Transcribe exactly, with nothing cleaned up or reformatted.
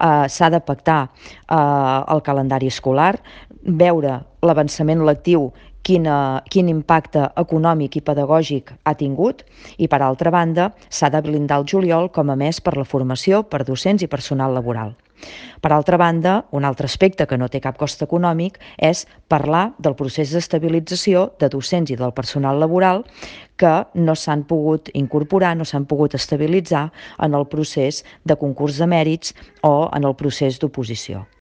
eh, s'ha de pactar eh, el calendari escolar, veure l'avançament lectiu, quin, eh, quin impacte econòmic i pedagògic ha tingut, i per altra banda s'ha de blindar el juliol com a mes per la formació per docents i personal laboral. Per altra banda, un altre aspecte que no té cap cost econòmic és parlar del procés d'estabilització de docents i del personal laboral que no s'han pogut incorporar, no s'han pogut estabilitzar en el procés de concurs de mèrits o en el procés d'oposició.